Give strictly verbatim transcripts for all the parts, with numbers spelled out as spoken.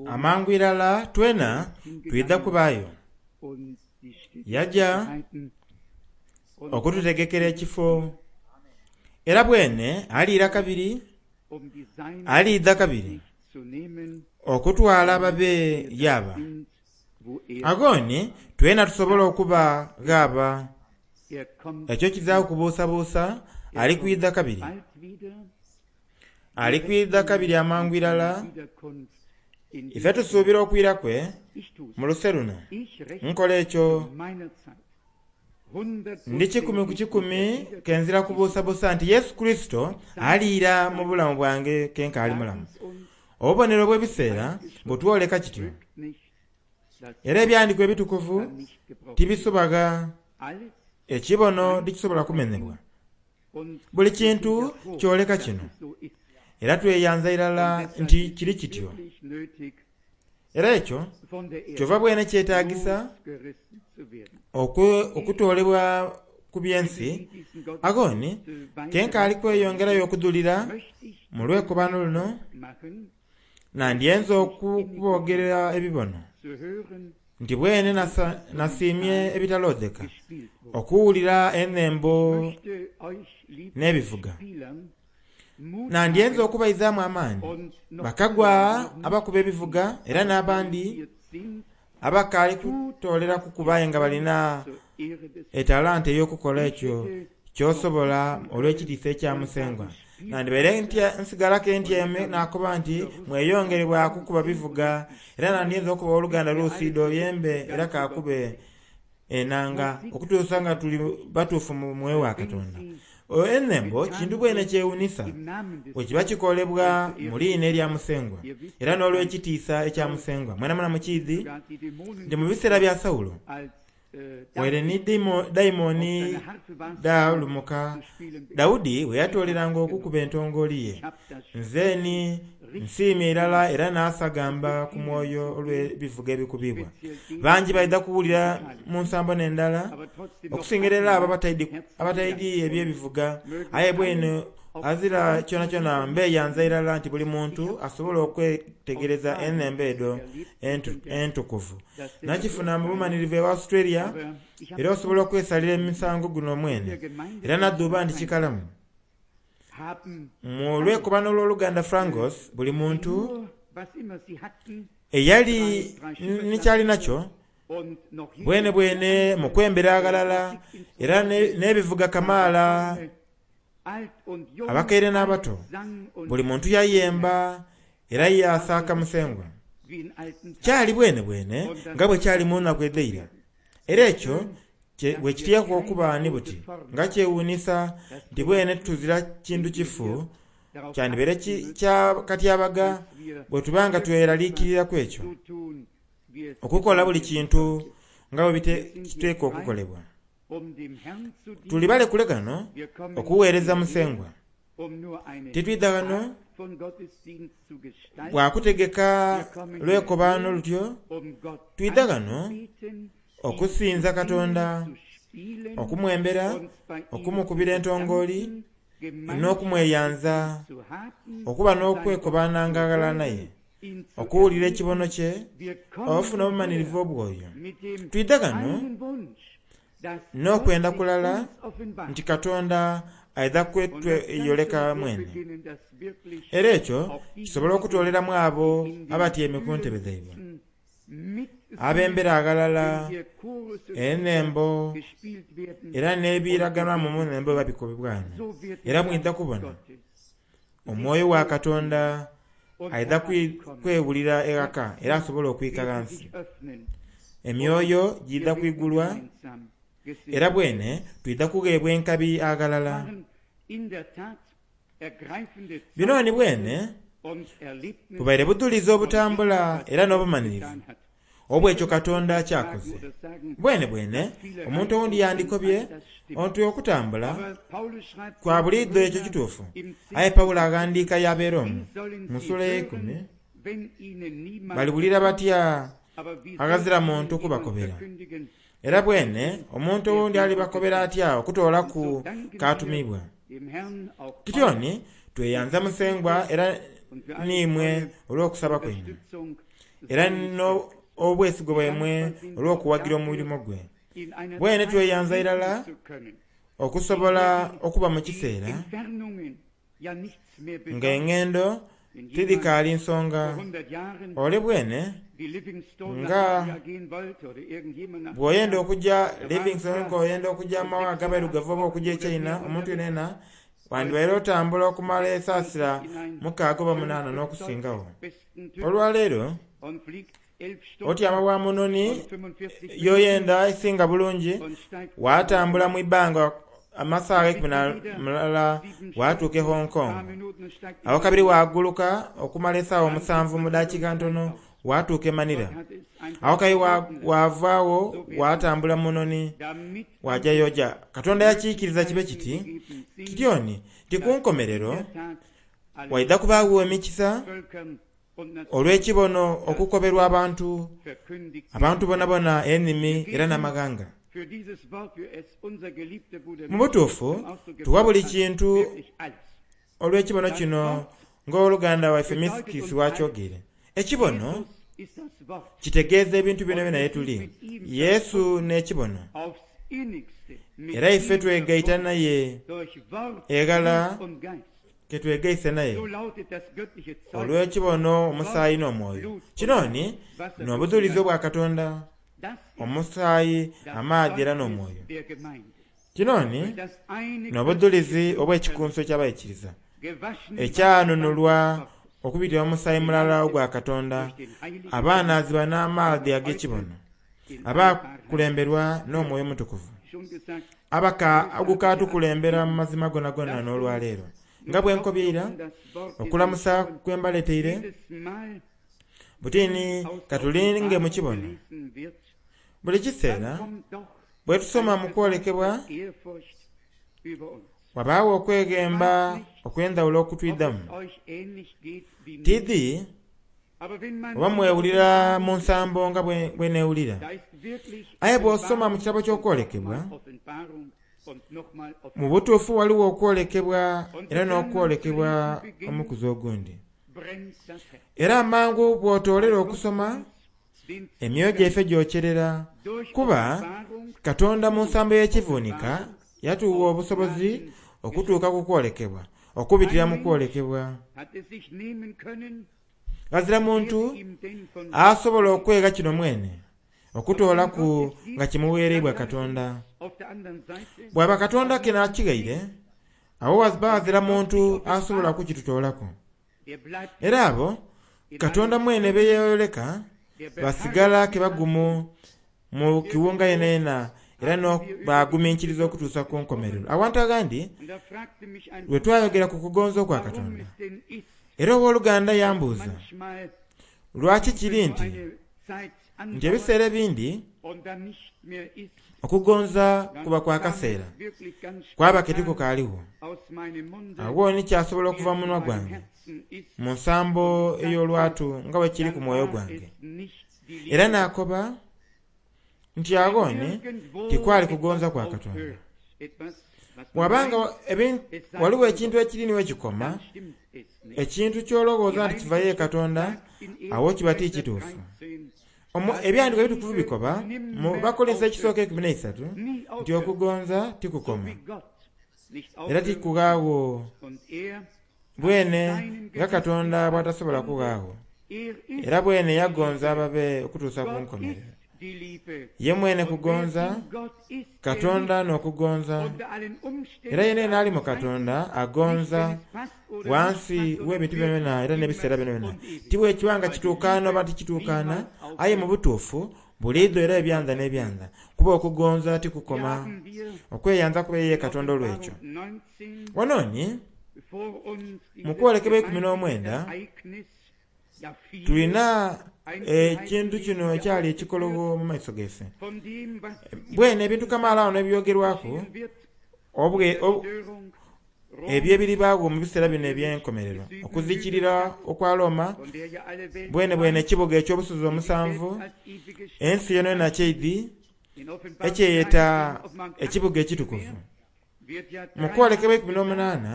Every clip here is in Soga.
Amangu irala twena twidha kubaayo. Yaja okututegekera ekifo era bwene aliira kabiri aliidha kabiri okutwala ababe yaba. Agoni twena tusobola okuba ghaba. Ekyo kizira kubuusabuusa ali kwidha kabiri. Ali kwidha kabiri amangu irala. Ife tusuubira okwira kwe mu luse luno. Nkola ekyo ndi kikumi ku kikumi kenzira kubuusabuusa nti Yesu Kristo aliira mu bulamu bwange kenkaali mulamu. Obubonero bw'ebiseera butwoleka kityo. Era ebyandiiko ebitukuvu tibisubaga ekibono tikisobola kumenebwa. Buli kintu kyoleka kino. Era tweyanza irala nti kiri kityo. Era ekyo kyova bwene kyetaagisa okutoolebwa ku byensi. Agoni kenkaali kweyongerayo okudhulira mu lwekobano luno nandyenze okubogerera ebibono nti bwene nasiimye ebitalodheka okuwulira ennembo n'ebivuga. Nandyenze okubaizaamu amaani bakagwa abakuba ebivuga era n'abandi abakaali kutoolera kukuba nga balina etalanta ey'okukola ekyo ky'osobola olw'ekitiisa ekya Musengwa. Nandibaire nsigalako entyeme n'akoba nti mweyongere bwakukuba bivuga era nandyenze okuba oluganda lusiida oyembe era kakube enanga okutuusa nga tuli batuufu mu mwoyo wa Katonda. Ennembo kintu bwene kyewunisa bwe kiba kikolebwa mu liina erya Musengwa era n'olw'ekitiisa ekya Musengwa. Mwena mwena mukiidhi nti mu biseera bya Sawulo waire ni dayimooni dhalumuka Dawudi bwe yatooleranga okukuba entongooli ye. Nze ni nsiimye irala era naasagamba ku mwoyo olw'ebivuga ebikubibwa. Bangi baidha kuwulira mu nsambo n'endala okusingira era abo abataidi eby'ebivuga aye bwene azira kyonakyona mbeeyanza irala nti buli muntu asobola okwetegereza ennembo edho entukuvu. Nakifuna mu bumanirivu ewa Australia era osobola okwesalira emisango guno mwene era nadhuuba nti kikalamu. Mu lwekobano olw'oluganda Frangos buli muntu eyali ni kyali nakyo bwene bwene mu kwembera aghalala era n'ebivuga kamaala abakaire n'abato buli muntu yayemba era yasaaka Musengwa. Kyali bwene bwene nga bwe kyali mu nnaku edh'eira. Era ekyo bwe kiteekwa okuba ni buti nga kyewuunisa nti bwene tuzira kintu kifu kyandibaire kya katyabaga bwe tuba nga tweraliikiriraku ekyo okukola buli kintu nga bwe kiteekwa okukolebwa. Tuli balekule ghano okuweereza Musengwa. Titwidha ghano bwakutegeka lwekobano lutyo, twidha ghano okusinza Katonda, okumwembera, okumukubira entongooli n'okumweyanza, okuba n'okwekobananga aghalala naye, okuwulira ekibono kye, ofuna obumanirivu obwoyo. Twidha ghano n'okwenda kulala nti Katonda aidha kwetweyoleka mwene. Era ekyo kisobola okutooleramu abo abatyamye ku ntebe dhaibwe abembera aghalala ennembo era n'ebiraganwamu mu nnembo babikobebwa ghano. Era mwidha kubona omwoyo wa Katonda aidha kwewulira eghaka era asobola okwika ghansi. Emyoyo gidha kwigulwa era bwene twidha kugheebwa enkabi aghalala. Bino ni bwene bubaire budhulizi obutambula era n'obumanirivu obw'ekyo Katonda kyakoze. Bwene bwene omuntu owundi yandikobye nti okutambula kwa buliidho ekyo kituufu. Aye Pawulo aghandiika y'abeera omwo mu ssuula ey'eikumi baliwulira batya aghazira muntu kubakobera. Era bwene omuntu owundi alibakobera atya okutoolaku k'atumibwa. Kityoni tweyanza Musengwa era n'imwe olw'okusaba kwaimwe era n'obwesigwa bwaimwe olw'okuwagira omulimo gwe. Bwene tweyanza irala okusobola okuba mu kiseera nga engendo tidhikaali nsonga. Ole bwene nga bw'oyenda okujja Livingstone ng'oyenda okujja mu mawanga ag'abairugavu oba okujja e China, omuntu yenayena wandibaire otambula okumala esaasira mukaaga oba munaana n'okusingawo. Olwaleero otyama bwa munoni y'oyenda esinga bulungi, waatambula mu ibbanga amasaagha ikumi na mulala watuuka e Hong Kong. Awo kabiri waaguluka okumala esaawa omusanvu mu dakiika ntono watuuka e Manila. Awo kabiri wavaawo watambula munoni wajja y'oja. Katonda yakiikiriza kibe kiti kityoni ti ku nkomerero waidha kubaagho emikisa olw'ekibono okukoberwa abantu abantu bonabona ennimi era n'amaghanga. Mu butuufu tuwa buli kintu olw'ekibono kino ng'oluganda waife Misikisi wakyogeire. Ekibono kitegeeza ebintu byona byona yetuli. Yesu n'ekibono era ife twegaita naye eghala ketwegaise naye olw'ekibono omusaayi n'omwoyo. Kinoni n'obujulizi obwa Katonda, omusaayi, amaadhi era n'omwoyo. Kinoni n'obujulizi obw'ekikunso eky'abaikiriza ekyanunulwa okubitira mu musaayi mulala ogwa Katonda, abaanaazibwa n'amaadhi ag'ekibono, abakulemberwa n'omwoyo omutukuvu, abaka ogukatukulembera mu mazima gonagona n'olwaleero. Nga bwe nkobyeira okulamusa kwe mbaleeteire butini katulinge mu kibono. Buli kiseera bwe tusoma mu kwolekebwa wabaawo okweghemba okw'endhawulo okutwidhamu. Tidhi oba mwewulira mu nsambo nga bwe neewulira, aye bw'osoma mu kitabo ky'okwolekebwa mu butuufu waliwo okwolekebwa era n'okwolekebwa omukuzi ogundi. Era amangu bw'otoolera okusoma emyoyo gyaife gyokyerera, kuba Katonda mu nsambo y'ekivuunika yatuwa obusobozi okutuuka ku kwolekebwa, okubitira mu kwolekebwa. Ghazira muntu asobola okwega kino mwene okutoolaku nga kimuweereibwa Katonda. Bw'aba Katonda ke n'akighaire, awo ghazira muntu asobola kukitutoolaku. Era abo Katonda mwene beyeyoleka basigala ke bagumu mu kiwunga yenayena era baguminkiriza okutuusa ku nkomerero. Awantu aghandi lwe twayogera ku kugonza okwa Katonda, era owooluganda yambuuza lwaki kiri nti nti ebiseera ebindi okugonza kuba kwa kaseera kwaba ke tikukaaliwo. Awo ni kyasobola okuva mu munwa gwange mu nsambo ey'olwatu nga bwe kiri ku mwoyo gwange. Era naakoba nti aghoni tikwali kugonza kwa Katonda. Bw'abanga waliwo ekintu ekiri niwe kikoma, ekintu ky'olowooza nti kivayo e Katonda, awo kiba ti kituufu. Ebyandiiko ebitukuvu bikoba mu Bakolinso ekisooka ekumi n'eisatu nti okugonza tikukoma era tikughaawo bwene nga Katonda bw'atasobola kughaawo. Era bwene yagonza ababe okutuusa ku nkomerero. Ye mwene kugonza, Katonda n'okugonza, era yenayena ali mu Katonda agonza wansi w'ebintu byonayona era n'ebiseera byonayona. Ti bwe kiba nga kituukaana oba tikituukaana, aye mu butuufu buliidho era ebyanza n'ebyanza, kuba okugonza tikukoma. Okweyanza kuba ye Katonda olw'ekyo. Wanooni mu kwolekebwa ikumi n'omwenda tulina ekintu kino ekyali ekikologo mu maiso gaife. Bwene ebintu kamaala wano ebyogerwaku ebyo ebiribaagho mu biseera bino eby'enkomerero, okuzikirira okwa Roma, bwene bwene ekibuga eky'obusozi omusanvu, ensi yonayona kyeidhi ekyeyeta ekibuga ekitukuvu. Mu kwolekebwa ikumi n'omunaana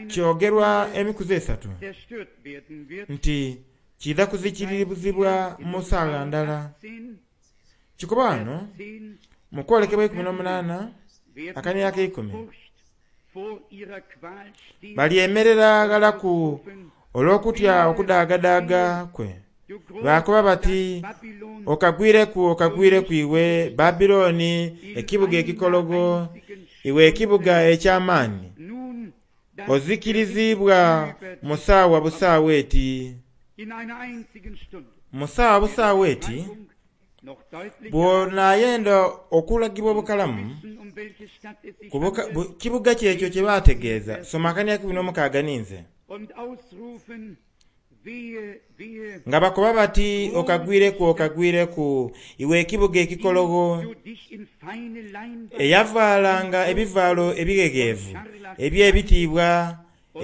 Kyogerwa emikuzi esatu nti kiidha kuzikirizibwa mu saala ndala. Kikoba wano mu kwolekebwa ikumi n'omunaana akania ak'eikumi, balyemerera ghalaku olw'okutya okudaagadaaga kwe, baakoba bati, okagwireku okagwireku iwe Babiloni ekibuga ekikologo, iwe ekibuga eky'amaani, ozikirizibwa mu saawa busaawa eti. Mu saawa busaawa eti bw'onaayenda okulagibwa obukalamu ku kibuga kyekyo kye baategeeza, soma akania ikumi n'omukaaga ninze. Nga bakoba bati, okagwireku okagwireku iwe ekibuga ekikologo, eyavaalanga ebivaalo ebighegheevu eby'ebitiibwa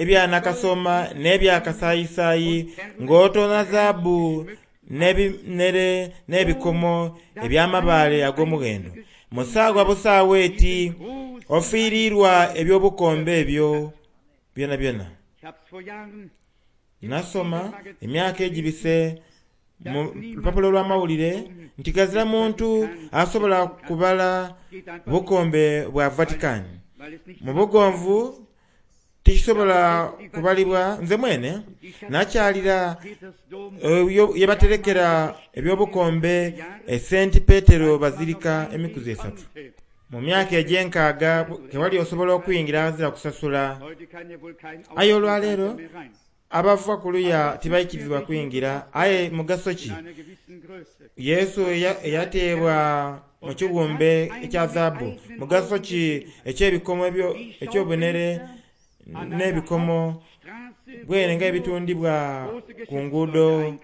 ebya nakasooma n'ebya kasaayisaayi, ng'otoona zaabu n'ebinhere n'ebikomo eby'amabaale ag'omughendo. Mu saawa busaawa eti ofiirirwa eby'obukombe ebyo byonabyona. Nasoma emyaka egibise mu lupapula olw'amawulire nti ghazira muntu asobola kubala bukombe bwa Vatican. Mu bugonvu tikisobola kubalibwa. Nze mwene nakyalira ye baterekera eby'obukombe e Saint Petero Bazilika emikuzi esatu. Mu myaka egy'enkaaga tewali osobola okuyingira ghazira kusasula. Aye olwaleero abava kuluya tibaikirizibwa kuyingira. Aye mugaso ki? Yesu eyateebwa mu kighumbe ekya zaabu, mugaso ki eky'ebikomo eky'obunhere n'ebikomo bwene nga ebitundibwa ku nguudo,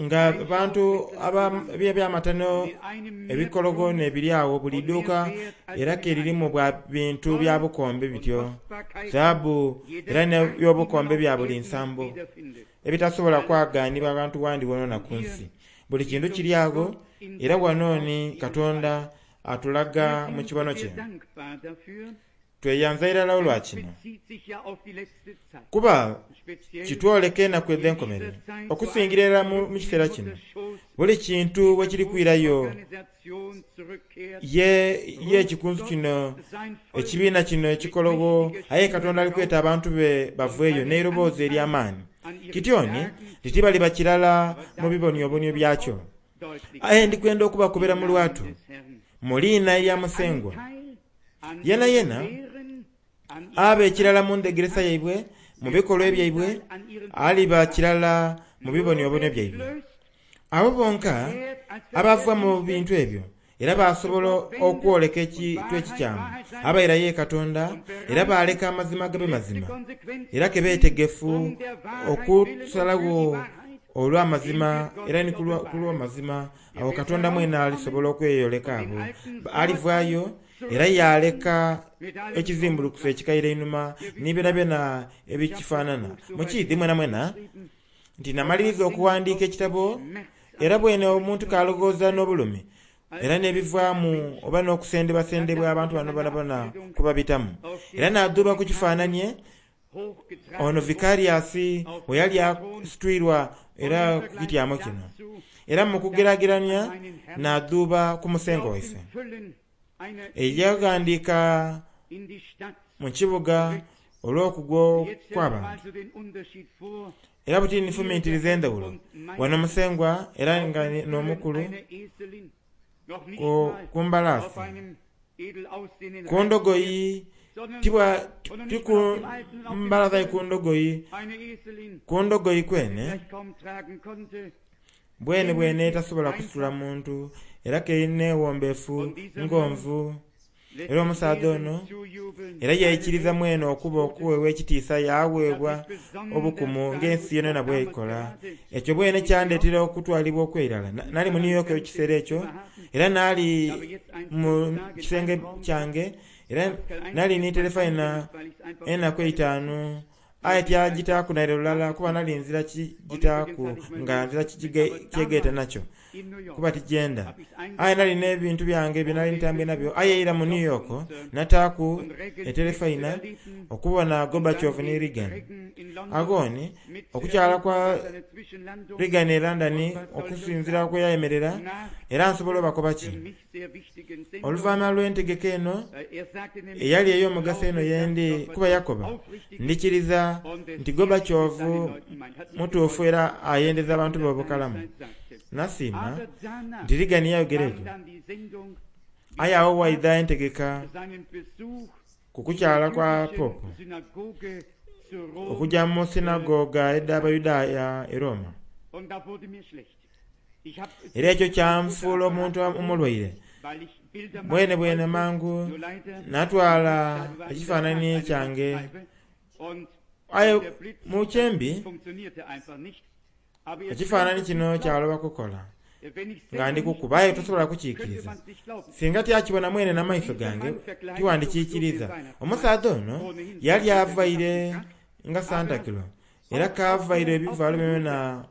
nga abantu ebyamatano ebikologo n'ebiri agho buli duuka era ke lirimu bwa bintu bya bukombe bityo, zaabu era n'ebyobukombe bya buli nsambo ebitasobola kwaganibwa ghantu ghandi wonawona ku nsi. Buli kintu kiri agho era wano ni Katonda atulaga mu kibono kye. Tweyanza irala olwa kino, kuba kitwoleka enaku edh'enkomerero okusingira irala mu kiseera kino. Buli kintu bwe kiri kwirayo ye ekikunsu kino, ekibiina kino ekikologo, aye Katonda ali kweta abantu be baveeyo n'eiroboozi ery'amaani. Kityoni titibaliba kirala mu biboniobonio byakyo. Aye ndikwenda okubakobera mu lwatu mu liina erya Musengwa, yena yena aba ekirala mu ndhegeresa yaibwe, mu bikolwa ebyaibwe, aliba kirala mu biboniobonio byaibwe. Abo bonka abava mu bintu ebyo era basobola okwoleka ekintu ekikyamu, abairayo ye Katonda era baaleka amazima gabe mazima, era ke beetegefu okusalagho olw'amazima era ni ku lw'amazima, awo Katonda mwene alisobola okweyoleka abo. Alivaayo era yaaleka ekizimbulukusa ekikaire einhuma ni byonabyona ebikifaanana. Mukiidhi mwenamwena nti namaliriza okuwandiika ekitabo, era bwene omuntu k'alowooza n'obulumi era n'ebivaamu oba n'okusendebwasendebwa abantu bano bonabona kubabitamu. Era naadhuuba ku kifaananie ono Vicarius bwe yali asitwirwa era ku kityamo kino. Era mu kugeraagerania naadhuuba ku Musengwa waife eyaghandiika mu kibuga olw'okugwa kw'abantu. Era buti nfumintiriza endhawulo wano Musengwa era nga n'omukulu ku mbalaasi, ku ndogoyi, ti ku mbalaasi aye ku ndogoyi, ku ndogoyi kwene bwene bwene etasobola kusitula muntu era k'erina ewombeefu ngonvu. Era omusaadha ono era yaikiriza mwene okuba okuweebwa ekitiisa yaaweebwa obukumu ng'ensi yonayona bw'ekola. Ekyo bwene kyandeetera okutwalibwa okw'eirala. Nali mu New York ekiseera ekyo era naali mu kisenge kyange era nali ni terefayina enaku eitaanu Aye tyagitaaku naire lulala kuba nali nzira kigitaaku nga nzira kyegaita nakyo kuba tijenda. Aye nali n'ebintu byange bye nali ntambwe nabyo. Aye eira mu New York nataaku eterefaina okubona Gorbachev ni Reagan. Agoni okukyala kwa Reagan e London okusinziira kwe yayemerera era nsobola obakoba ki oluvannyuma lw'entegeka eno eyali ey'omugaso eno yendi kuba yakoba ndikiriza nti Gorbachev mutuufu era ayendeza abantu b'obukalamu. Nasiima nti Reagan yayogera ekyo. Aye awo waidha entegeka ku kukyala kwa Pope okujja mu sinagoga edh'Abayudaaya e Roma. Era ekyo kyanfuula omuntu omulwaire. Bwene bwene mangu natwala ekifaananyi kyange. Aye mu kyembi ekifaananyi kino kyaloba kukola nga ndi kukuba aye tosobola kukiikiriza. Singa tyakibona mwene n'amaiso gange tiwandikiikiriza. Omusaadha ono yali avaire nga Santa Claus era kavaire ebivaalo byona.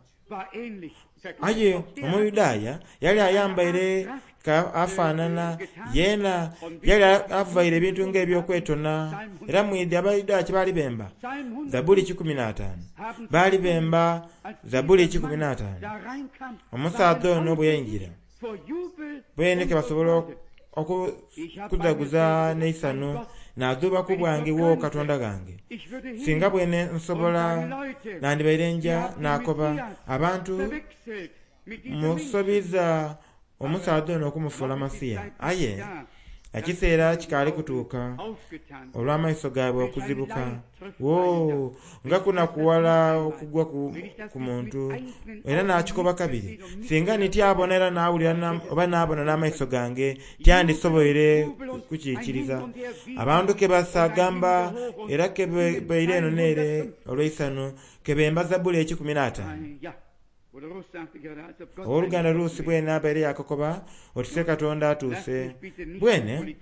Aye Omuyudaaya yali ayambaire ka afaanana yeena yali avaire ebintu ng'ebyokwetona. Era mwidhi Abayudaaya kye baali bemba Zabuli kikumi n'ataano. Baali bemba Zabuli kikumi n'ataano. Omusaadha ono bwe yaingira bwene ke basobola okuzaguza n'eisano naadhuubaku bwange wo Katonda gange. Singa bwene nsobola nandibaire nja naakoba abantu musobiza omusaadha ono okumufuula Masiya. Aye ekiseera kikaali kutuuka olw'amaiso gaabwe okuzibuka. Woo, nga kunakuwala okugwa ku, ku muntu. Era nakikoba kabiri singa nityabona era nawulira oba naabona n'amaiso gange tyandisoboire kukiikiriza. Abantu ke basagamba era ke baire eno neere olw'eisano ke bemba Zabuli ekikumi n'ataano. Owooluganda Ruusi bwene abaire yakokoba otise Katonda atuuse. Bwene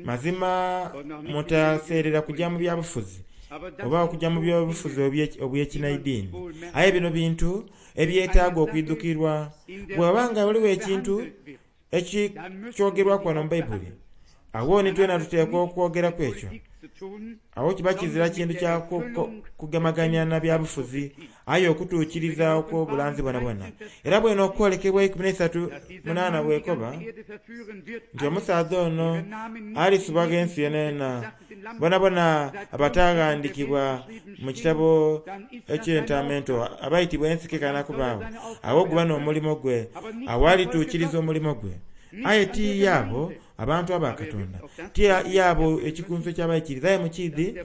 mazima mutaseerera kujja mu byabufuzi oba okujja mu byobufuzi obw'ekinaidiini. Aye bino bintu ebyetaaga okwidhukirwa. Bw'oba nga waliwo ekintu ekikyogerwaku wano mu Bayibuli, awo ni twena tuteekwa okwogeraku ekyo. Awo kiba kizira kintu kya kugemaganya na byabufuzi aye okutuukiriza okw'obulanzi bwonabwona. Era bwene okwolekebwa ikumi n'eisatu munaana bwekoba nti omusaadha ono alisubagho ensi yenayena bonabona abataghandikibwa mu kitabo eky'entamento abaitibwa ensi kekana kubaagho. Awo guba n'omulimo gwe, awo alituukiriza omulimo gwe. Aye ti yaabo abantu aba Katonda, ti yaabo ekikunsu eky'abaikiriza. Aye mukiidhi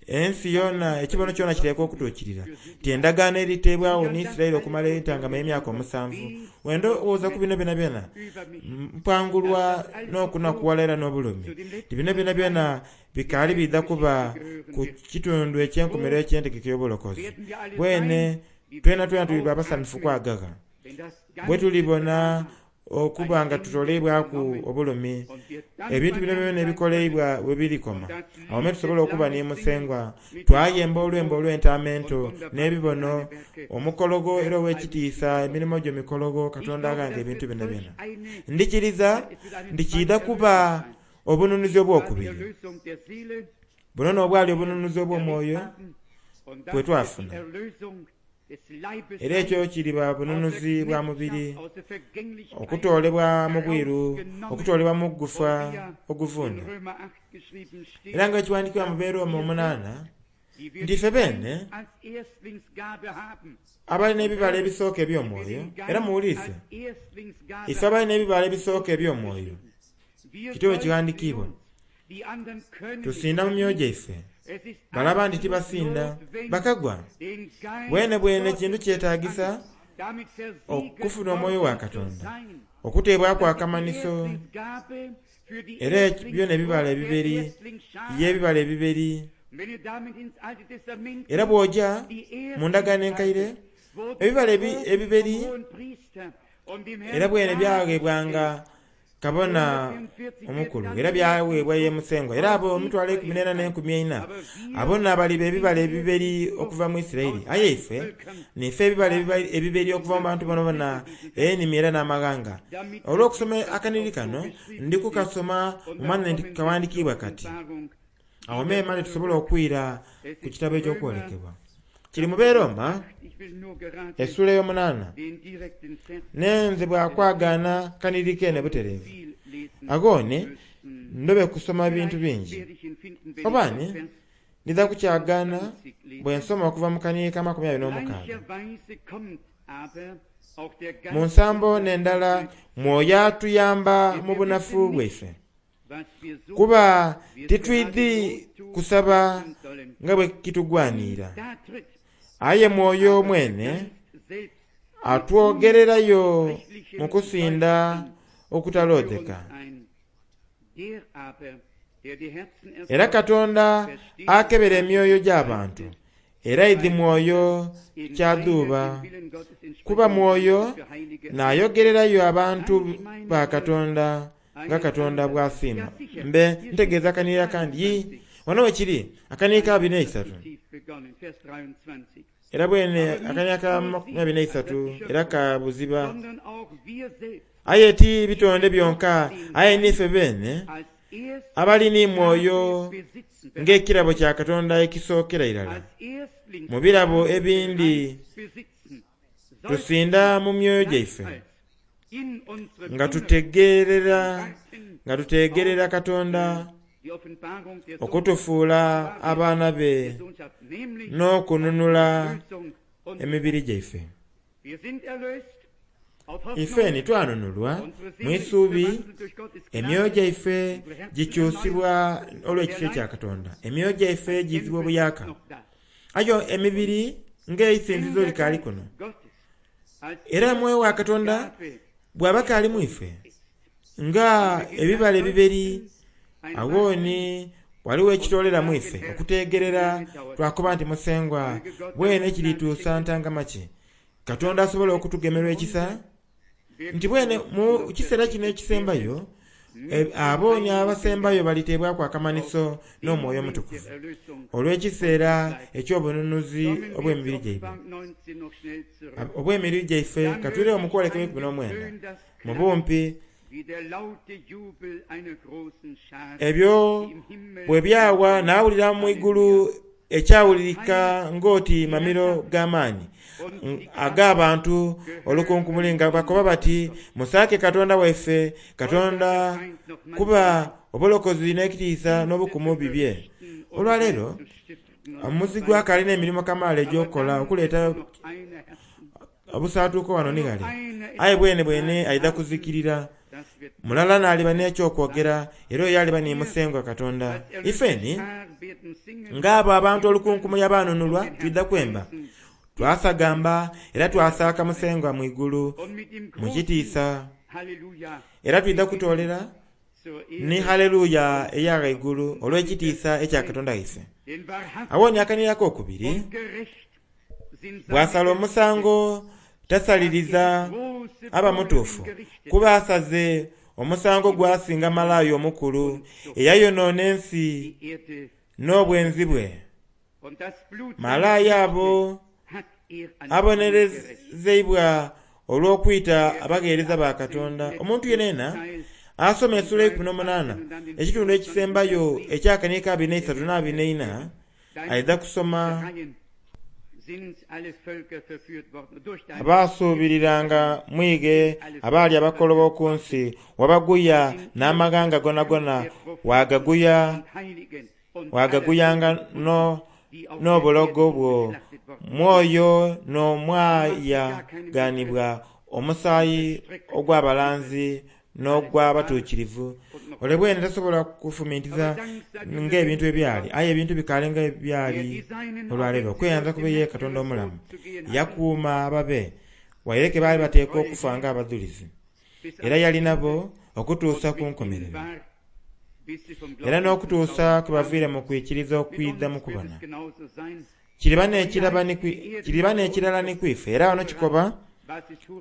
ensi yona ekibono kyona kiteekwa okutuukirira ti endagaano eriteebwawo ni Isiraeli okumala entangama y'emyaka omusanvu. Wendowooza ku bino byonabyona mpangulwa n'okunakuwala era n'obulumi ti bino byonabyona bikaali bidha kuba ku kitundu eky'enkomerero eky'entegeka y'obulokozi. Bwene twena twena tuliba abasanyufu kwagagha bwe tulibona okuba nga tutoleibwaku obulumi ebintu bino byona ebikoleibwa bwe birikoma. Awo me tusobola okuba ni Musengwa twayemba olwembo olw'entamento n'ebibono omukologo era ow'ekitiisa emirimo gyo mikologo Katonda aghanga ebintu bino byona. Ndikiriza nti kiidha kuba obununuzi obwokubiri. Buno n'obwali obununuzi obw'omwoyo bwe twafuna. Era ekyo kiriba bununuzi bwa mubiri okutoolebwa mu bwiru, okutoolebwa mu gufa oguvunda. Era nga ekiwandiikibwa mu Beeroma omunaana nti ife beene abalina ebibala ebisooka eby'omwoyo, era muwulirize, ife abalina ebibala ebisooka eby'omwoyo kityo bwe kighandiikibwa tusinda mu myoyo gyaife balaba nti tibasinda bakagwa. Bwene bwene kintu kyetaagisa okufuna omwoyo wa Katonda okuteebwaku akamanhiso. Era byona ebibala ebiberi y'ebibala ebiberi. Era bw'oja mu ndagaano enkaire ebibala ebiberi era bwene byaghebwanga kabona omukulu era byaweebwa ye Musengwa. Era abo emitwalo eikumi n'ena n'enkumi eina abo n'abaliba ebibala ebiberi okuva mu Isiraeli. Aye ife nife ebibala ebiberi okuva mu bantu bonabona, enimi era n'amaghanga. Olw'okusoma akaniri kano ndi kukasoma mumanye nti kawandikiibwa kati. Awo memale tusobola okwira ku kitabo eky'okwolekebwa. Kiri mu Beroma essula ey'omunaana. Nenze bwakwagaana kaniri kene butereevu. Agone ndobe kusoma bintu bingi. Obani ndidha kukyagaana bwe nsoma okuva mu kaniri ka makumi abiri n'omukaaga. Mu nsambo n'endala Mwoyo atuyamba mu bunafu bwaife. Kuba titwidhi kusaba nga bwe kitugwanira. Aye Mwoyo mwene atwogererayo mu kusinda okutalodheka. Era Katonda akebera emyoyo gy'abantu, era aidhi Mwoyo kyadhuuba. Kuba Mwoyo n'ayogererayo abantu ba Katonda nga Katonda bw'asiima. Mbe ntegeeza akaniri akandi. Yi, wano we kiri akaniri ka abiri n'eisatu. Era bwene akaniri ka makumi abiri n'eisatu era ka buziba. Aye ti bitonde byonka, aye nife beene abali ni Mwoyo ng'ekirabo kya Katonda ekisookera irala. Mu birabo ebindi tusinda mu myoyo gyaife nga tutegerera nga tutegerera Katonda okutufuula abaana be n'okununula emibiri gyaife. Ife ni twanunulwa mu isuubi, emyoyo gyaife gikyusibwa olw'ekisa kya Katonda. Emyoyo gyaife gizibwa obuyaka. Ayo emibiri ng'eisinzizo likaali kuno. Era Mwoyo wa Katonda bw'aba kaali mu ife nga ebibala ebiberi, awooni waliwo ekitoolera mu ife okutegerera twakoba nti Musengwa bwene kirituusa ntangama ki. Katonda asobola okutugemerwa ekisa nti bwene mu kiseera kino ekisembayo abo ni abasembayo baliteebwaku akamanhiso n'Omwoyo Omutukuvu olw'ekiseera eky'obununuzi obw'emibiri gyaibwe. Obw'emibiri gyaife katwireyo mu kwolekebwa eikumi n'omwenda mu bumpi. Ebyo bwe byawa naawulira mu igulu ekyawulirika ng'oti mamiro g'amaanyi ag'abantu olukunkumuli nga bakoba bati, musaake Katonda waife, Katonda kuba obulokozi n'ekitiisa n'obukumu bibye. Olwaleero omuzigu akalina emirimo kamaala egy'okukola okuleeta obusaatuuko wano ni ghale. Aye bwene bwene aidha kuzikirira. Mulala n'aliba n'ekyokwogera era oyo aliba ni Musengwa Katonda. Ifeni ng'abo abantu olukunkumuli abanunulwa twidha kwemba, twasagamba era twasaaka Musengwa mu igulu mu kitiisa. Era twidha kutoolera ni haleluya eya ghaigulu olw'ekitiisa ekya Katonda waife. Awo ni akaniri ak'okubiri bw'asala omusango tasaliriza aba mutuufu, kuba asaze omusango gwasinga malaaya omukulu eyayonoona ensi n'obwenzi bwe. Malaaya abo abonerezeibwa olw'okwita abagheereza ba Katonda. Omuntu yenena asoma essula eikumi n'omunaana ekitundu ekisembayo ekyakaniri ka abiri n'eisatu n'abiri n'eina aidha kusoma abaasuubiriranga mwige abaali abakolobo ku nsi, wabaguya n'amaghanga gonagona wagaguya wagaguyanga n'obulogo bwo. Mwoyo n'omwayaganibwa omusaayi ogw'abalanzi n'ogw'abatuukirivu. Ole bwene tasobola kufumintiza ng'ebintu ebyali, aye ebintu bikaali nga ebyali olwaleero. Okweyanza kube ye Katonda omulamu yakuuma ababe waireke baali bateekwa okufa ng'abadhulizi. Era yali nabo okutuusa ku nkomerero, era n'okutuusa kwe baviire mu kwikiriza okwidha mu kubona. Kiriba n'ekirala ni kwife. Era wano kikoba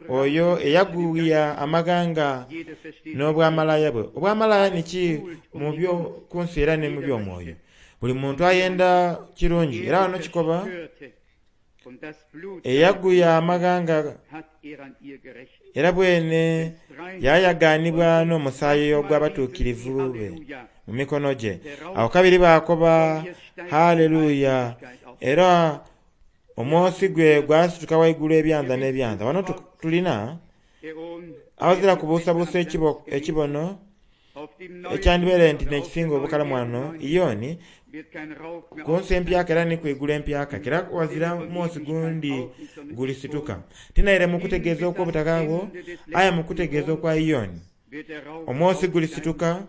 Oyo eyaguya amaghanga n'obwamalaya bwe. Obwamalaya niki mu byo ku nsi era ne mu by'omwoyo. Buli muntu ayenda kirungi. Era wano kikoba eyaguya amaghanga era bwene yayaganibwa n'omusaayi ogw'abatuukirivu be mu mikono gye. Awo kabiri baakoba haleluya, era omwosi gwe gwasituka waigulu ebyanza n'ebyanza. Wano tulina awazira kubuusabuusa ekibono ekyandibeere nti n'ekisinga obukalamu wano iyoni ku nsi empyaka era ni kwigulu empyaka kera wazira mwosi gundi gulisituka. Tinaire mu kutegeeza okw'obutaka bwo, aye mu kutegeeza okwa iyoni omwosi gulisituka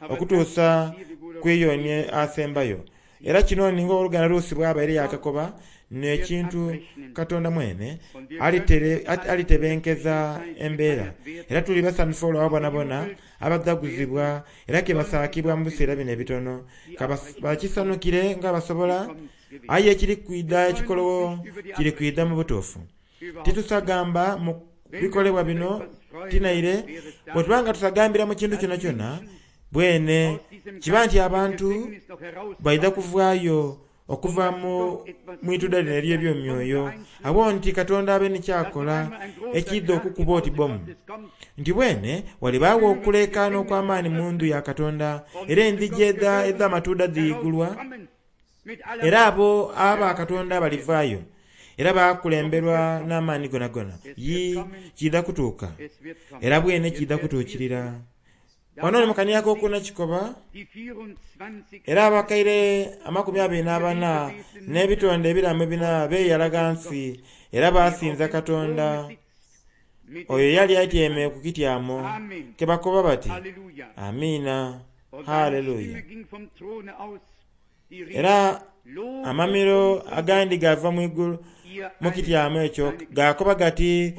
okutuusa ku iyoni asembayo. Era kino ninga oluganda Luusi bw'abaire yakakoba n'ekintu Katonda mwene alitebenkeza embeera. Era tuli basanufu olwabo bonabona abadaguzibwa era ke basaakibwa mu biseera bino ebitono. Bakisanukire nga basobola, aye ekiri kwidha ekikolowo kiri kwidha mu butuufu. Titusagamba mu bikolebwa bino tinaire bwe tuba nga tusagambira mu kintu kyona kyona bwene kiba nti abantu baidha kuvaayo okuva mu mwituda lino ery'ebyomyoyo. Abo nti Katonda abe nikyakola ekidha okukuba oti bomu. Nti bwene walibaawo okuleekaana okw'amaani mu ndhu ya Katonda, era endhigi edh'amatuuda dhiigulwa, era abo aba Katonda balivaayo era bakulemberwa n'amaani gonagona. Yi kiidha kutuuka era bwene kiidha kutuukirira. Wano ni mukaniaka okuna kikoba era abakaire amakumi abiri n'abana n'ebitonde ebiramu ebina beeyala ghansi era basinza Katonda oyo yali atyaime ku kityamo ke bakoba bati amiina, haleluya. Era amamiro agandi gava mu igulu mu kityamo ekyo gakoba gati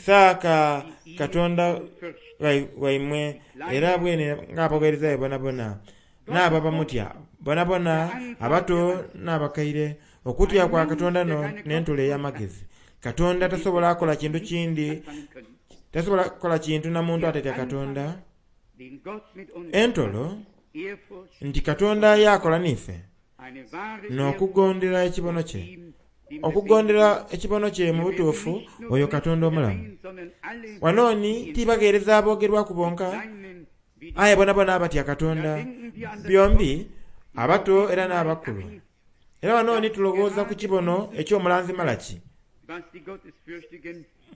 saaka Katonda waimwe era bwene ng'abaweereza be bonabona n'abo abamutya bonabona abato n'abakaire. Okutya kwa Katonda no n'entola ey'amagezi. Katonda tasobola kukola kintu kindi, tasobola kukola kintu na muntu atatya Katonda. Entolo nti Katonda yakola niife n'okugondera ekibono kye. Okugondera ekibono kye mu butuufu oyo Katonda omulamu. Wanooni tibagheereza aboogerwaku bonka, aye bonabona abatya Katonda byombi abato era n'abakulu. Era wanooni tulowooza ku kibono eky'omulanzi Malaki.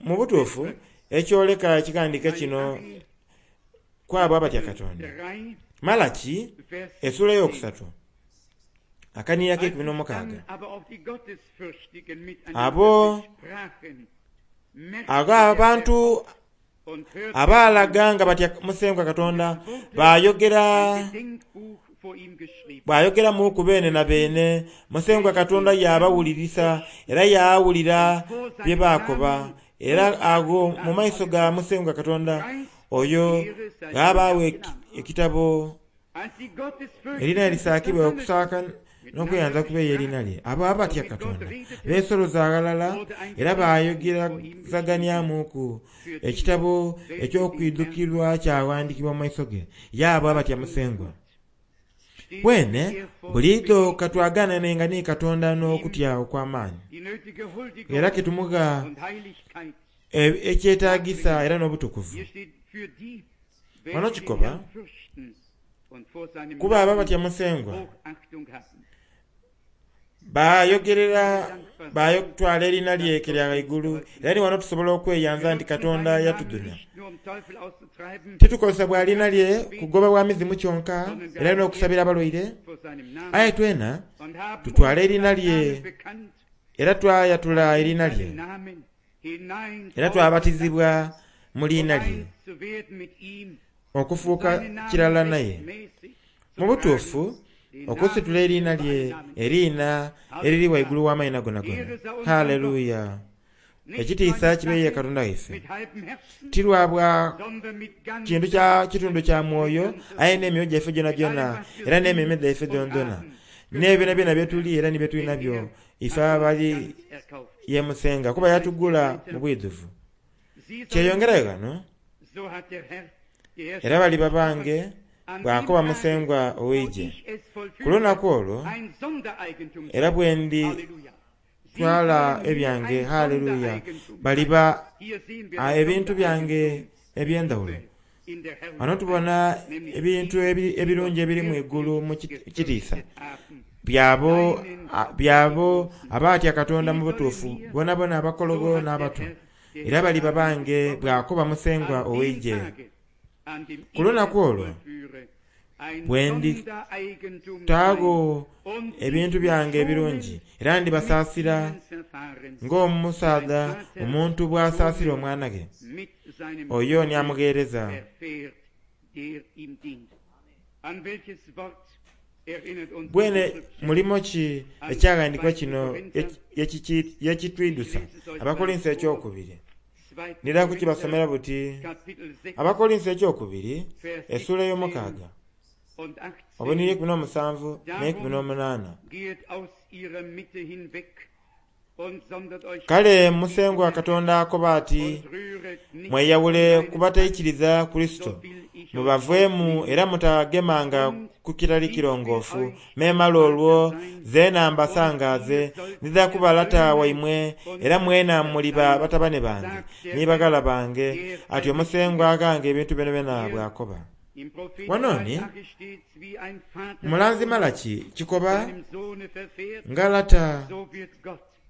Mu butuufu ekyoleka ekighandiiko kino kwabo abatya Katonda. Malaki essuula eyokusatu akaniira k'ekumi n'omukaaga. Abo ago abantu abaalaga nga batya Musengwa Katonda bayogera bayogeramuku beene na beene. Musengwa Katonda yabawulirisa era yaawulira bye baakoba. Era ago mu maiso ga Musengwa Katonda oyo ghabaawo ekitabo erina erisaakibwa okusaaka n'okweyanza kubeeyo erina lye. Abo abatya Katonda beesoloza aghalala era bayogerezaganyamuku. Ekitabo eky'okwidhukirwa kyawandikibwa mu maiso ge y'abo abatya Musengwa. Bwene buliidho katwagananenga ni Katonda n'okutya okw'amaani, era ketumugha ekyetaagisa era n'obutukuvu. Wano kikoba kuba abo abatya Musengwa bayogerera bayotwala erina lye lya ghaigulu. Era ni wano tusobola okweyanza nti Katonda yatuduna. Titukozesa bwa lina lye kugoba bwa mizimu kyonka era n'okusabira abalwaire, aye twena tutwale erina lye era twayatula erina lye era twabatizibwa mu liina lye okufuuka kirala naye. Mu butuufu okusitula erina lye erina eriri waigulu w'amaina gonagona. Haleluya. Ekitiisa kibeeye Katonda waife. Tirwabwa kintu kya kitundu kya mwoyo, aye n'emyoyo gyaife gyonagyona era n'emmeeme dhaife dhonadhona n'ebyo byona byetuli era ni byetuli nabyo ife abali ye Musengwa kuba yatugula mu bwidhuvu. Kyeyongerayo ghano, era baliba bange bw'akoba Musengwa ow'eigye. Ku lunaku olwo era bwe nditwala ebyange, haleluya, baliba ebintu byange eby'endhawulo. Wano tubona ebintu ebirungi ebiri mu igulu mu kitiisa byabo byabo abatya Katonda mu butuufu, bonabona abakologo n'abato, era baliba bange bw'akoba Musengwa ow'eigye. Ku lunaku olwo bwe nditaagho ebintu byange ebirungi, era ndibasaasira ng'omusaadha omuntu bw'asaasira omwana ghe, oyo ni amugheereza. Bwene mulimo ki ekyaghandiikibwa kino yekitwidusa? Abakolinso ekyokubiri ndidha kukibasomera buti. Abakolinso ekyokubiri essuula ey'omukaaga obuniri ikumi n'omusanvu n'eikumi n'omunaana. Kale Musengwa Katonda akoba ati, mweyawule ku bataikiriza Kurisito, mubaveemu era mutagemanga ku kitali kirongoofu. Memale olwo zeena mbasangaaze, ndidha kuba lata waimwe era mwena muliba batabane bange ni baghala bange. Atyo Musengwa aghanga ebintu byonabyona bw'akoba. Wano ni mulanzi Malaki kikoba nga lata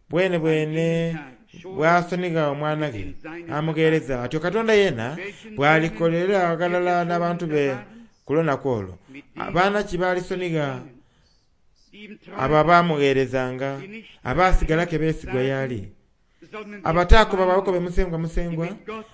bwene bwene bw'asonigha omwana ghe amugheereza, atyo Katonda yeena bw'alikolera ghalala n'abantu be ku lunaku olwo. Abaana ki balisonigha abo abamugheerezanga, abaasigala ke beesigwa y'ali, abataakoba bakobe Musengwa Musengwa,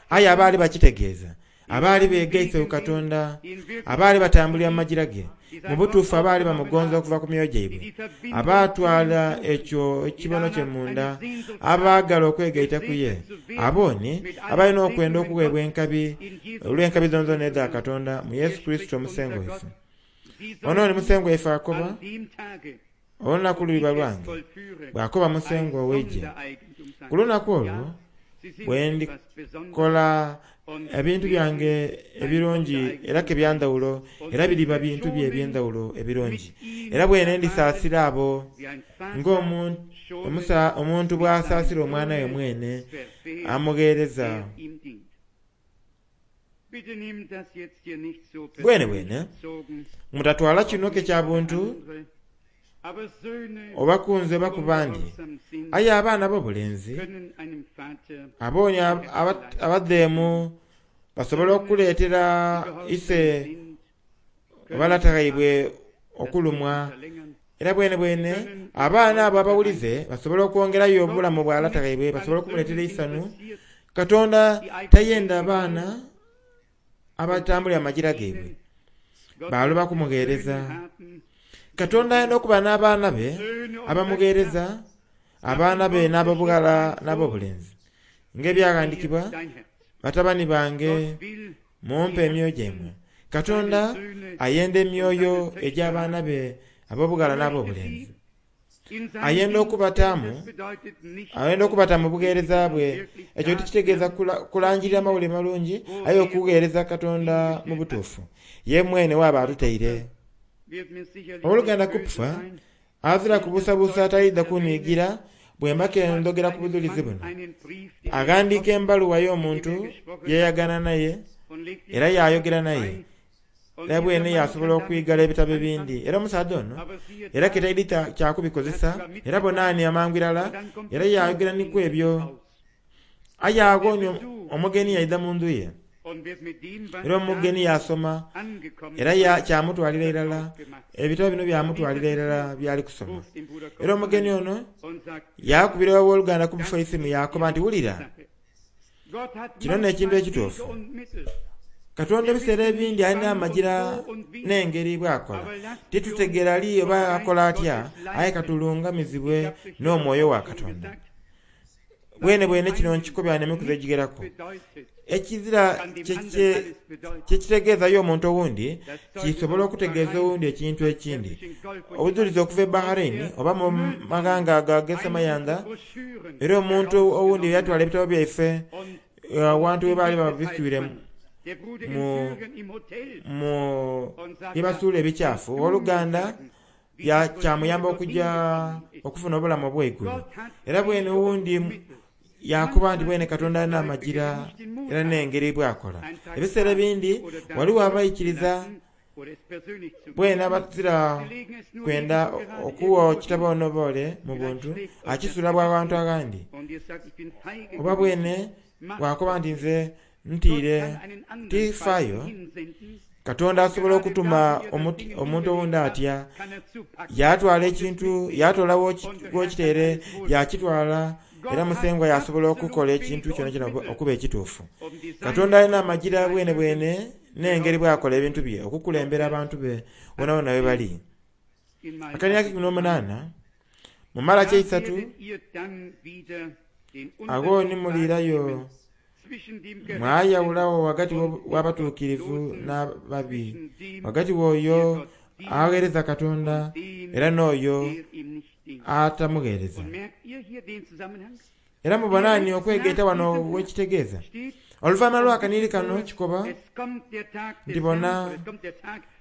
aye abaali bakitegeeza, abaali beegaise ku Katonda, abaali batambulira mu magira ge, mu butuufu abaali bamugonza okuva ku myoyo gyaibwe, abaatwala ekyo ekibono kye munda, abaagala okwegaita ku ye, abo ni abalina okwenda okuweebwa enkabi olw'enkabi dhonadhona edha Katonda mu Yesu Kurisito Omusengwa waife. Ono ni Musengwa waife akoba, olunaku luliba lwange, bw'akoba Musengwa ow'eigye. Ku lunaku olwo bwe ndikola ebintu byange ebirungi era ke byandhawulo, era biriba bintu bye eby'endhawulo ebirungi. Era bwene ndisaasira abo ng'omuntu bw'asaasira omwana we mwene amugheereza. Bwene bwene mutatwala kino ke kya buntu oba ku nze oba ku bandi, aye abaana ab'obulenzi abo ni abadheemu basobola okuleetera ise oba lata ghaibwe okulumwa. Era bwene bwene abaana abo abawulize basobola okwongerayo obulamu bwa lata ghaibwe, basobola okumuleetera eisanhu. Katonda tayenda abaana abatambulira amagira gaibwe baloba kumugheereza. Katonda ayenda okuba n'abaana be abamugheereza, abaana be n'ab'obughala n'ab'obulenzi. Ng'ebyaghandiikibwa, batabani bange mumpe emyoyo gyaimwe. Katonda ayenda emyoyo egy'abaana be ab'obughala n'ab'obulenzi. Ayenda okubataamu, ayenda okubata mu bugheereza bwe. Ekyo tikitegeeza kulangirira mawulire malungi, aye okugheereza Katonda mu butuufu. Ye mwene waaba atutaire. Owooluganda Kupfa azira kubuusabuusa atalidha kuniigira bwe mba ke ndhogera ku budhulizi buno. Aghandiika embaluwa y'omuntu yeyagana naye era yayogera naye, era bwene yasobola okwigala ebitabo ebindi. Era omusaadha ono era ke taidhi kyakubikozesa, era bonaani amangu irala era yayogera niku ebyo. Aye agho ni omugeni yaidha mu ndhu ye, era omugeni yasoma, era kyamutwalira irala, ebitabo bino byamutwalira irala byali kusoma. Era omugeni ono yakubira owooluganda Kupfa eisimu yakoba nti, wulira, kino n'ekintu ekituufu. Katonda ebiseera ebindi alina amagira n'engeri bw'akola. Titutegeera li oba akola atya, aye katulungamizibwe n'omwoyo wa Katonda. Bwene bwene kino nkikobya n'emikuzi egigheraku. Ekizira kyekitegeeza y'omuntu owundi kisobola okutegeeza owundi ekintu ekindi. Obujulizi okuva e Bahrain oba mu maghanga ago ag'esemayanda, era omuntu owundi yatwala ebitabo byaife awantu we baali babiswire mu mu byebasuula ebikyafu. Owooluganda kyamuyamba okujja okufuna obulamu obw'eigulu. Era bwene owundi yakuba nti bwene Katonda alina amagira era n'engeri bwakola. Ebiseera ebindi waliwo abaikiriza bwene abazira kwenda okuwa ekitabo onoboole mu buntu akisula bwa bantu aghandi, oba bwene bwakoba nti nze ntiire tifaayo. Katonda asobola okutuma omuntu owundi atya yatwala ekintu, yatoola w'okiteere yakitwala, era Musengwa yasobola okukola ekintu kyona kyona okuba ekituufu. Katonda alina amagira bwene bwene n'engeri bwakola ebintu bye okukulembera abantu be bonabona we bali. Akania kikumi n'omunaana mu Malaki eisatu, agho ni muliirayo mwayawulawo wagati w'abatuukirivu n'ababi, wagati w'oyo agheereza Katonda era n'oyo atamugheereza. Era mubonani okwegaita wano wekitegeeza. Oluvannyuma lw'akaniri kano kikoba nti bona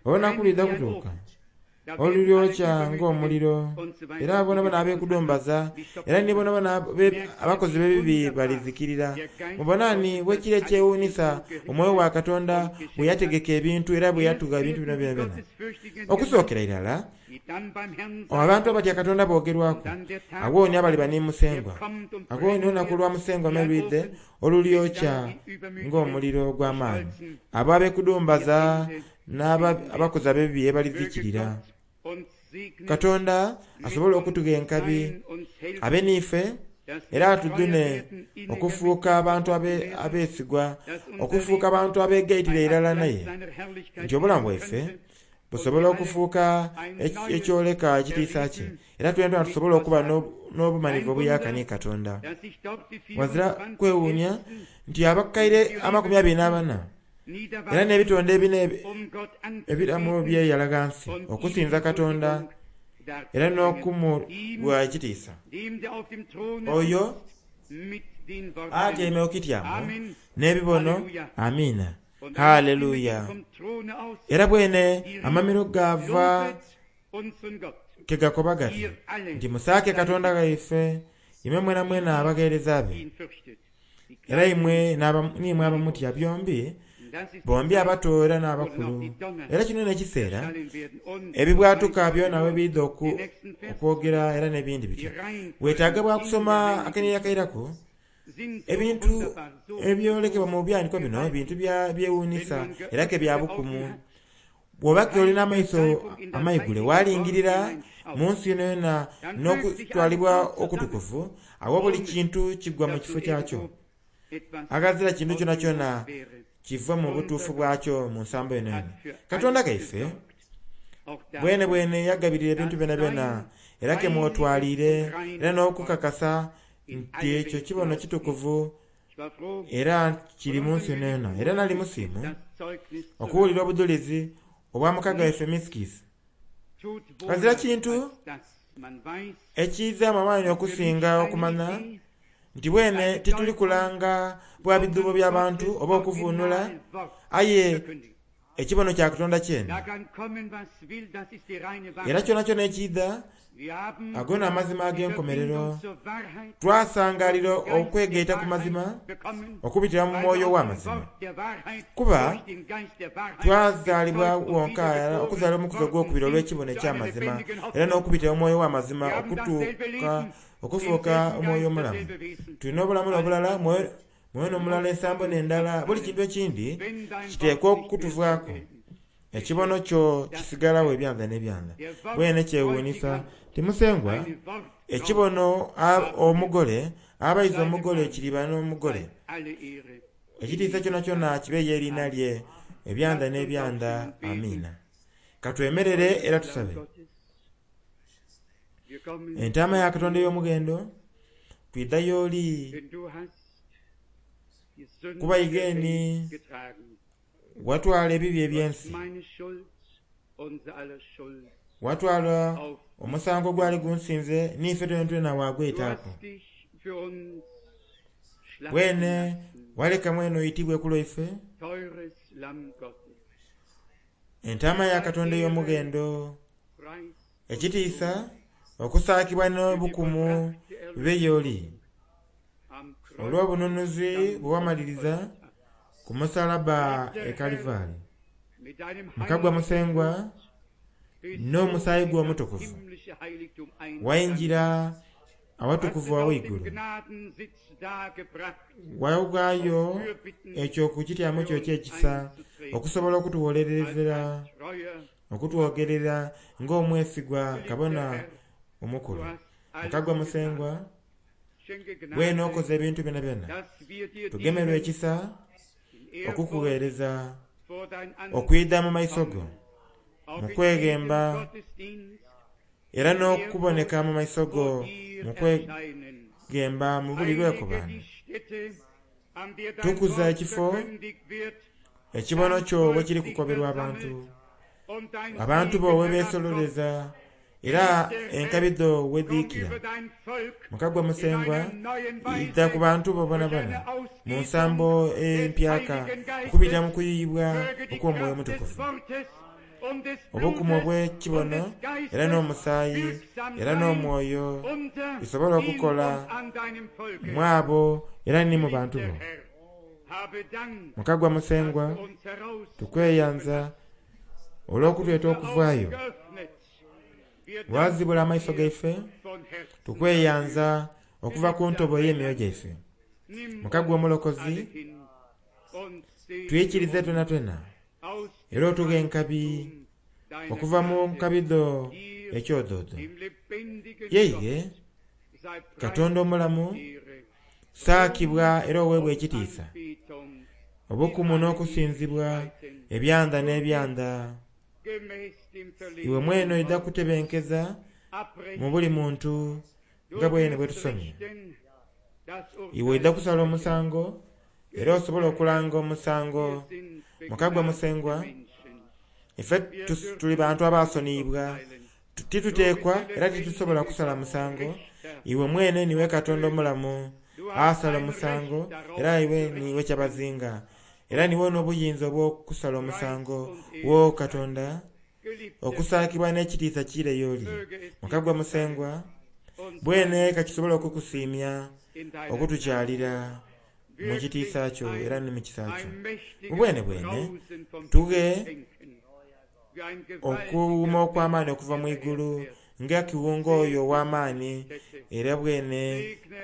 olunaku lwidha kutuuka olulyokya ng'omuliro, era bonabona ab'ekudumbaza era ni bonabona abakozi b'ebibi balizikirira. Mubonani bwekiri ekyewuunisa omwoyo wa Katonda bwe yategeka ebintu era bwe yatugha ebintu bino byona. Okusookera irala abantu abatya Katonda boogerwaku, agho ni abaliba ni Musengwa. Agho ni olunaku lwa Musengwa me lwidhe olulyokya ng'omuliro ogw'amaani, abo ab'ekudumbaza n'abakozi ab'ebibi ebalizikirira. Katonda asobola okutugha enkabi abe niife era atudune okufuuka abantu abeesigwa, okufuuka abantu abeegaitira irala naye, nti obulamu bwaife busobola okufuuka ekyoleka ekitiisa kye, era twena tusobola okuba n'obumanivu obuyaka ni Katonda. Wazira kwewuunya nti abakaire amakumi abiri n'abana era n'ebitonde ebina ebiramu byeyala ghansi okusinza Katonda era n'okumuwa ekitiisa. Oyo atyaime ku kityamo n'ebibono, amiina, haleluya. Era bwene amamiro gava kegakoba gati nti musaake Katonda waife imwe mwena mwena abagheereza be, era imwe n'imwe abamutya byombi, bombi abato era n'abakulu. Era kino n'ekiseera ebibwatuka byona we biidha okwogera era n'ebindi bityo. Weetaaga bwa kusoma akaniri akairaku ebintu ebyolekebwa mu byandiko bino bintu byewuunisa era ke bya bukumu. Bw'oba ke olina amaiso amaigule walingirira mu nsi yonayona n'okutwalibwa okutukuvu, awo buli kintu kigwa mu kifo kyakyo. Aghazira kintu kyonakyona kiva mu butuufu bwakyo mu nsambo yonayona. Katonda gaife bwene bwene yagabirira ebintu byonabyona, era ke mwotwaliire era n'okukakasa nti ekyo kibono kitukuvu era kiri mu nsi yonayona. Era nali musiimu okuwulira obujulizi obwa mukaga waife Misikisi. Ghazira kintu ekizaamu amaani okusinga okumanya nti bwene tituli kulanga bwa bidhuubo by'abantu oba okuvuunula, aye ekibono kya Katonda kyene. Era kyonakyona ekiidha ago n'amazima ag'enkomerero. Twasangalira okwegaita ku mazima okubitira mu mwoyo w'amazima, kuba twazaalibwa wonka okuzaala omukuzi ogwokubiri olw'ekibono eky'amazima, era n'okubitira mu mwoyo w'amazima okutuuka okufuuka omwoyo omulamu. Tulina obulamu n'obulala, mwoyo n'omulala, ensambo n'endala, buli kintu ekindi kiteekwa okutuvaaku. Ekibono kyo kisigalawo ebyanda n'ebyanda. Bwene kyewuunisa ti Musengwa ekibono omugole abayiza omugole kiriba n'omugole. Ekitiisa kyonakyona kibe y'eriina lye ebyanda n'ebyanda. Amiina. Katwemerere era tusabe. Entaama ya Katonda ey'omughendo twidha y'oli Kuba igeni watwala ebibi eby'ensi, watwala omusango gwali gunsinze n'ife twenatwena wagwetaaku. Bwene waleka mwene oitibwe ku lwaife, entaama ya Katonda ey'omughendo, ekitiisa, okusaakibwa n'obukumu bibe y'oli, olw'obununuzi bwe wamaliriza ku musalaba e Kalivari. Mukagwa Musengwa n'omusaayi gwo omutukuvu waingira awatukuvu aweigulu, waghaayo ekyo ku kityamo kyo eky'ekisa okusobola okutuwolerezera, okutwogerera ng'omwesigwa kabona omukulu. Mukagwa Musengwa, bwene okoze ebintu byonabyona, tugemerwe ekisa okukugheereza, okwidha mu maiso go mu kweghemba era n'okuboneka mu maiso go mu kweghemba mu buli lwekobano. Tukuza ekifo ekibono kyo bwe kiri kukoberwa abantu, abantu bo we beesololeza era enkabi dho we dhiikira. Mukagwa Musengwa, idha ku bantu bo bonabona mu nsambo empyaka okubita mu kuyiyibwa okw'Omwoyo Omutukuvu, obukumu obw'ekibono era n'omusaayi era n'omwoyo bisobole okukola mu abo era ni mu bantu bo. Mukagwa Musengwa, tukweyanza olw'okutweta okuvaayo, wazibula amaiso gaife, tukweyanza okuva ku ntobo ey'emyoyo gyaife. Mukagwa Omulokozi, twikirize twenatwena era otughe enkabi okuva mu nkabi dho ekyodoodo. Yeighe Katonda omulamu, saakibwa era oweebwa ekitiisa, obukumu n'okusinzibwa ebyanda n'ebyanda. Iwe mwene oidha kutebenkeza mu buli muntu nga bwene bwe tusomye. Iwe oidha kusala omusango era osobola okulanga omusango. Mukagwa Musengwa, ife tuli bantu abasoniibwa, tituteekwa era titusobola kusala musango. Iwe mwene niwe Katonda omulamu asala omusango, era iwe niwe kyabazinga, era niwe n'obuyinza obw'okusala omusango wo Katonda, okusaakibwa n'ekitiisa kiire y'oli. Mukagwa Musengwa, bwene kakisobola okukusiimya okutukyalira mu kitiisa kyo era ni mu kisa kyo. Bwene bwene tughe okuwuuma okw'amaani okuva mu igulu nga kiwunga oyo ow'amaani era bwene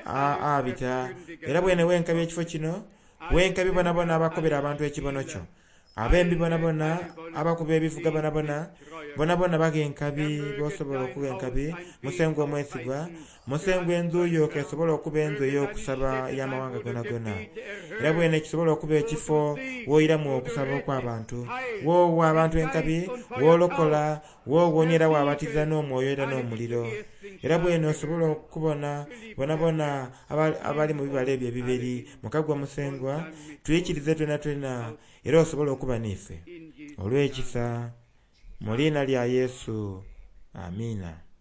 abita, era bwene wenkabi ekifo kino, wenkabi bonabona abakobera abantu ekibono kyo, abembi bonabona, abakuba ebivuga bonabona, bonabona bagha enkabi bosobola okugha enkabi. Musengwa omwesigwa, Musengwa endhu yo kesobola okuba endhu ey'okusaba ey'amawanga gonagona, era bwene kisobola okuba ekifo w'oiramu okusaba okw'abantu, w'owa abantu enkabi, w'olokola, w'owonia era wabatiza n'omwoyo era n'omuliro. Era bwene osobola okubona bonabona abali mu bibala ebyo ebibiri. Mukagwa Musengwa, twikirize twenatwena era osobola okuba n'ife olw'ekisa mu liina lya Yesu. Amiina.